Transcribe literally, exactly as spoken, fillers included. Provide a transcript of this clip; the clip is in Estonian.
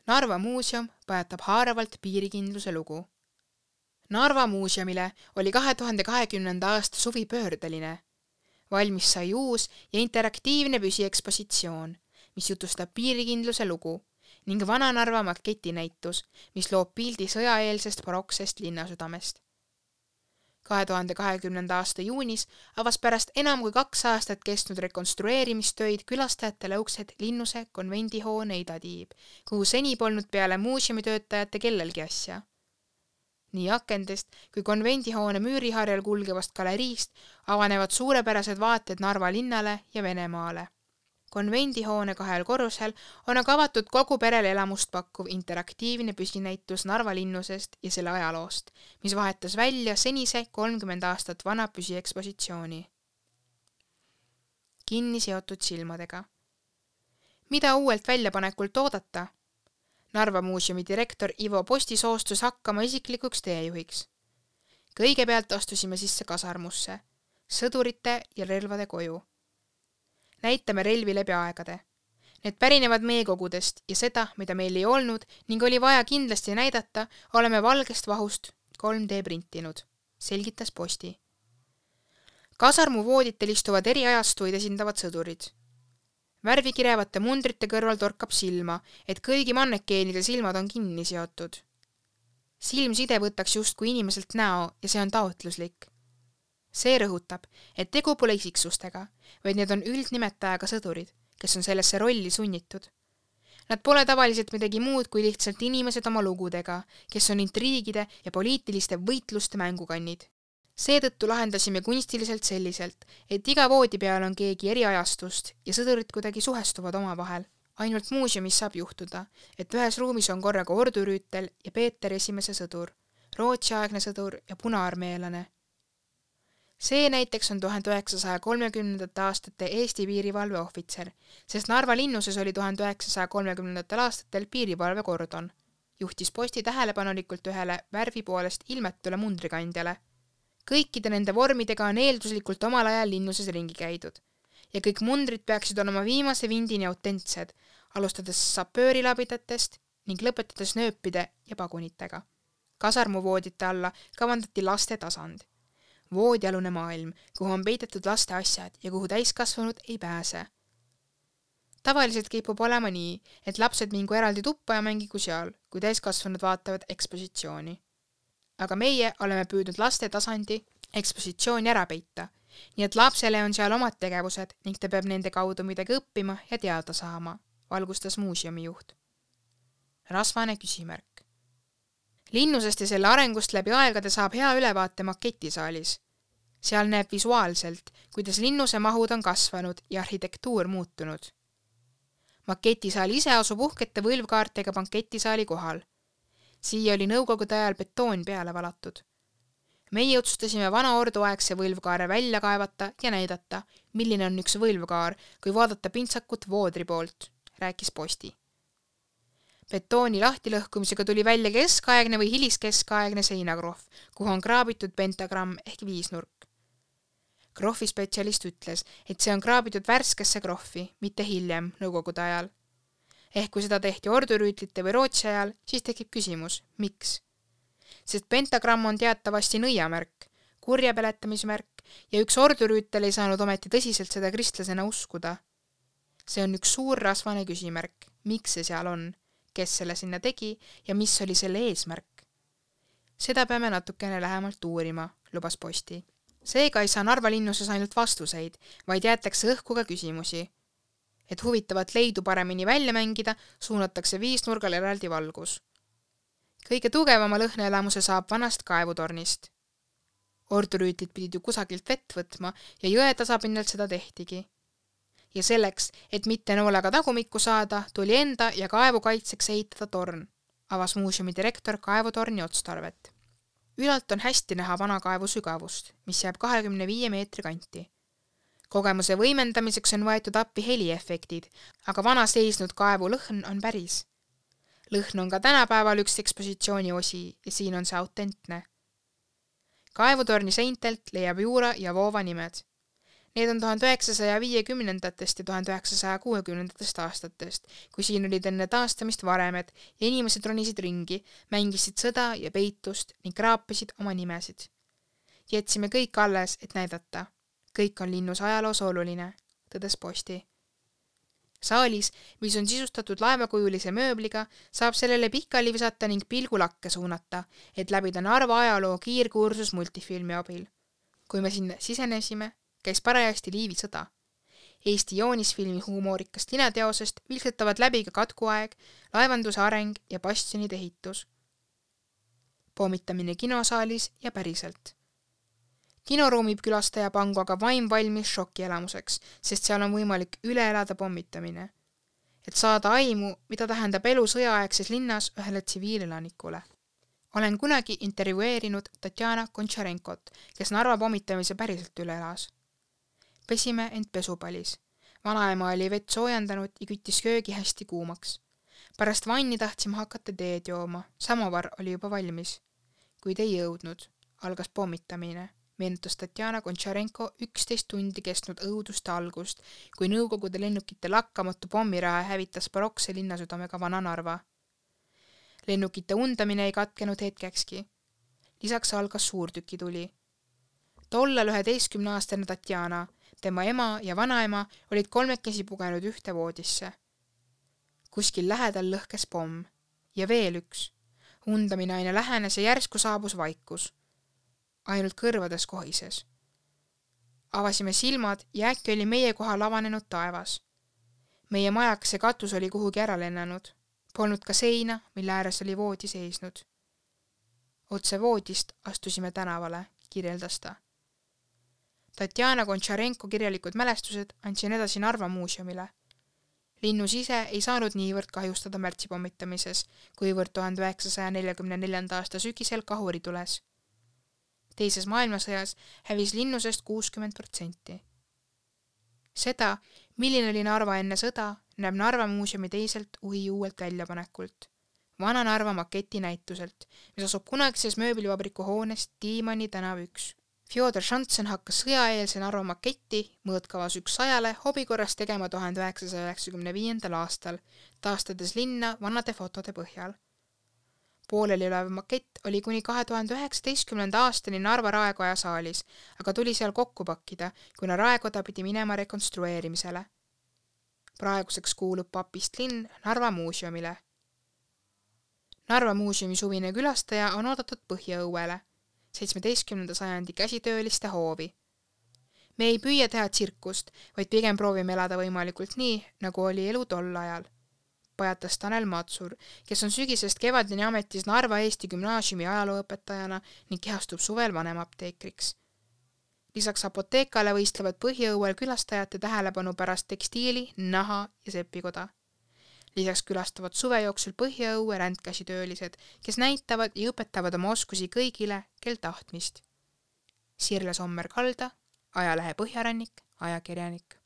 Narva muuseum pajatab haaravalt piirikindluse lugu. Narva muuseumile oli kahe tuhande kahekümnenda aasta suvi pöördeline. Valmis sai uus ja interaktiivne püsiekspositsioon, mis jutustab piirikindluse lugu ning Vana-Narva maketinäitus, mis loob pildi sõjaeelsest baroksest linnasüdamest. kahe tuhande kahekümnenda aasta juunis avas pärast enam kui kaks aastat kestnud rekonstrueerimistöid külastajatele uksed Linnuse konvendihoone idatiib, kuhu seni polnud peale muuseumitöötajate kellelgi asja. Nii akendest kui konvendihoone müüriharjal kulgevast galeriist avanevad suurepärased vaated Narva linnale ja Venemaale. Konvendihoone kahel korrusel on aga avatud kogu perele elamust pakkuv interaktiivne püsinäitus Narva linnusest ja selle ajaloost, mis vahetas välja senise kolmkümmend aastat vana püsiekspositsiooni. Kinni seotud silmadega. Mida uuelt väljapanekult oodata? Narva muuseumi direktor Ivo Posti soostus hakkama isiklikuks teejuhiks. Kõigepealt astusime sisse kasarmusse, sõdurite ja relvade koju. Näitame relvi läbi aegade. Need pärinevad meekogudest ja seda, mida meil ei olnud ning oli vaja kindlasti näidata, oleme valgest vahust kolm D printinud, selgitas Posti. Kasarmu vooditel istuvad eri ajastuid esindavad sõdurid. Värvikirevate mundrite kõrval torkab silma, et kõigi mannekeenide silmad on kinni seotud. Silmside võtaks justkui inimeselt näo ja see on taotluslik. See rõhutab, et tegu pole isiksustega, vaid need on üldnimetajaga sõdurid, kes on sellesse rolli sunnitud. Nad pole tavaliselt midagi muud kui lihtsalt inimesed oma lugudega, kes on intriigide ja poliitiliste võitluste mängukannid. Seetõttu lahendasime kunstiliselt selliselt, et iga voodi peal on keegi eri ajastust ja sõdurid kuidagi suhestuvad oma vahel. Ainult muuseumis saab juhtuda, et ühes ruumis on korraga ordurüütel ja Peeter esimese sõdur, Rootsi-aegne sõdur ja punaarmeelane. See näiteks on tuhande üheksasaja kolmekümnendate aastate Eesti piirivalve ohvitser, sest Narva linnuses oli tuhande üheksasaja kolmekümnendatel aastatel piirivalve kordon. Juhtis Posti tähelepanelikult ühele värvi poolest ilmetule mundrikandjale. Kõikide nende vormidega on eelduslikult omal ajal linnuses ringi käidud. Ja kõik mundrid peaksid olema viimase vindini autentsed, alustades sapöörilabidatest ning lõpetades nööpide ja pagunitega. Kasarmuvoodite alla kavandati laste tasand. Voodialune maailm, kuhu on peidetud laste asjad ja kuhu täiskasvanud ei pääse. Tavaliselt kipub olema nii, et lapsed mingu eraldi tuppa ja mängigu seal, kui täiskasvanud vaatavad ekspositsiooni. Aga meie oleme püüdnud laste tasandi ekspositsiooni ära peita, nii et lapsele on seal omad tegevused ning ta peab nende kaudu midagi õppima ja teada saama, valgustas muuseumi juht. Rasvane küsimärk. Linnusest ja selle arengust läbi aegade saab hea ülevaate maketisaalis. Seal näeb visuaalselt, kuidas linnuse mahud on kasvanud ja arhitektuur muutunud. Maketisaal ise asub uhkete võlvkaartega banketisaali kohal. Siia oli nõukogude ajal betoon peale valatud. Meie otsustasime vana orduaegse võlvkaare välja kaevata ja näidata, milline on üks võlvkaar, kui vaadata pintsakut voodri poolt, rääkis Posti. Betooni lahtilõhkumisega tuli välja keskaegne või hiliskeskaegne seinakrohv, kuhu on kraabitud pentagramm ehk viisnurk. Krohvi spetsialist ütles, et see on kraabitud värskesse krohvi, mitte hiljem, nõukogude ajal. Ehk kui seda tehti ordurüütlite või Rootsi ajal, siis tekib küsimus, miks? Sest pentagramm on teatavasti nõiamärk, kurja peletamismärk ja üks ordurüütel ei saanud ometi tõsiselt seda kristlasena uskuda. See on üks suur rasvane küsimärk, miks see seal on, kes selle sinna tegi ja mis oli selle eesmärk. Seda peame natukene lähemalt uurima, lubas Posti. Seega ei saa Narva linnuses ainult vastuseid, vaid jäetakse õhku ka küsimusi. Et huvitavat leidu paremini välja mängida, suunatakse viisnurgal eraldi valgus. Kõige tugevama lõhnaelamuse saab vanast kaevutornist. Ordurüütlid pidid ju kusagilt vett võtma ja jõe tasapinnalt seda tehtigi. Ja selleks, et mitte noolega tagumikku saada, tuli enda ja kaevu kaitseks ehitada torn, avas muuseumi direktor kaevutorni otstarvet. Ülalt on hästi näha vana kaevu sügavust, mis jääb kahekümne viie meetri kanti. Kogemuse võimendamiseks on võetud appi heliefektid, aga vana seisnud kaevu lõhn on päris. Lõhn on ka tänapäeval üks ekspositsiooni osi ja siin on see autentne. Kaevutorni seintelt leiab juura ja voova nimed. Need on tuhande üheksasaja viiekümnendatest ja tuhande üheksasaja kuuekümnendatest aastatest, kui siin olid enne taastamist varemed ja inimesed ronisid ringi, mängisid sõda ja peitust ning kraapisid oma nimesid. Jätsime kõik alles, et näidata. Kõik on linnus ajaloos oluline, tõdes Posti. Saalis, mis on sisustatud laevakujulise mööbliga, saab sellele pikali visata ning pilgulakke suunata, et läbida Narva ajaloo kiirkursus multifilmi abil. Kui me sinna sisenesime, käis parajasti Liivi sõda. Eesti joonisfilmi huumorikast lineteosest vilksetavad läbi ka katkuaeg, laevanduse areng ja bastionide ehitus. Pommitamine kinosaalis ja päriselt. Kinoruumib külastaja pangu aga vaim valmis šokielamuseks, sest seal on võimalik üle elada pommitamine. Et saada aimu, mida tähendab elu sõjaaegses linnas ühele tsiviilelanikule. Olen kunagi intervjueerinud Tatjana Kontšarenkot, kes Narva pommitamise päriselt üle elas. Pesime end pesupalis. Vanaema oli vett soojendanud ja küttis köögi hästi kuumaks. Pärast vanni tahtsime hakata teed jooma. Samovar oli juba valmis. Kuid ei jõudnud. Algas pommitamine. Meenutas Tatjana Kontšarenko üksteist tundi kestnud õuduste algust, kui nõukogude lennukite lakkamatu pommirahe hävitas barokse linnasüdamega Vana Narva. Lennukite undamine ei katkenud hetkekski. Lisaks algas suurtükituli. Tollal üheteistkümneaastane Tatjana, tema ema ja vanaema olid kolmekesi pugenud ühte voodisse. Kuskil lähedal lõhkes pomm. Ja veel üks. Undamine aina lähenes ja järsku saabus vaikus. Ainult kõrvades kohises. Avasime silmad ja äkki oli meie kohal avanenud taevas. Meie majakese katus oli kuhugi ära lennanud. Polnud ka seina, mille ääres oli voodi seisnud. Otse voodist astusime tänavale, kirjeldas ta. Tatjana Kontšarenko kirjalikud mälestused andsin edasi Narva muuseumile. Linnus ise ei saanud niivõrd kahjustada märtsi pommitamises, kuivõrd tuhande üheksasaja neljakümne neljanda aasta sügisel kahuri tules. Teises maailmasõjas hävis linnusest kuuskümmend protsenti. Seda, milline oli Narva enne sõda, näeb Narva muuseumi teiselt uhi uuelt väljapanekult. Vana Narva maketi näituselt, mis asub kunagises mööblivabriku hoones Tiimani tänav üks. Fjodor Šantsen hakkas sõjaeelse Narva maketti mõõtkavas üks sajale hobikorras tegema tuhande üheksasaja üheksakümne viiendal aastal, taastades linna vanade fotode põhjal. Pooleli olev makett oli kuni kahe tuhande üheksateistkümnenda aastani Narva Raekoja saalis, aga tuli seal kokku pakkida, kuna Raekoda pidi minema rekonstrueerimisele. Praeguseks kuulub papist linn Narva muuseumile. Narva muuseumi suvine külastaja on oodatud Põhjaõuele, seitsmeteistkümnenda sajandi käsitööliste hoovi. Me ei püüa teha tsirkust, vaid pigem proovime elada võimalikult nii, nagu oli elu tol ajal. Pajatas Tanel Matsur, kes on sügisest kevadini ametis Narva Eesti gümnaasiumi ajalooõpetajana ning kehastub suvel vanemapteekriks. Lisaks apoteekale võistlevad Põhjaõuel külastajate tähelepanu pärast tekstiili, naha ja sepikoda. Lisaks külastavad suve jooksul Põhjaõue rändkäsitöölised, kes näitavad ja õpetavad oma oskusi kõigile, kel tahtmist. Sirle Sommer-Kalda, ajalehe Põhjarannik, ajakirjanik.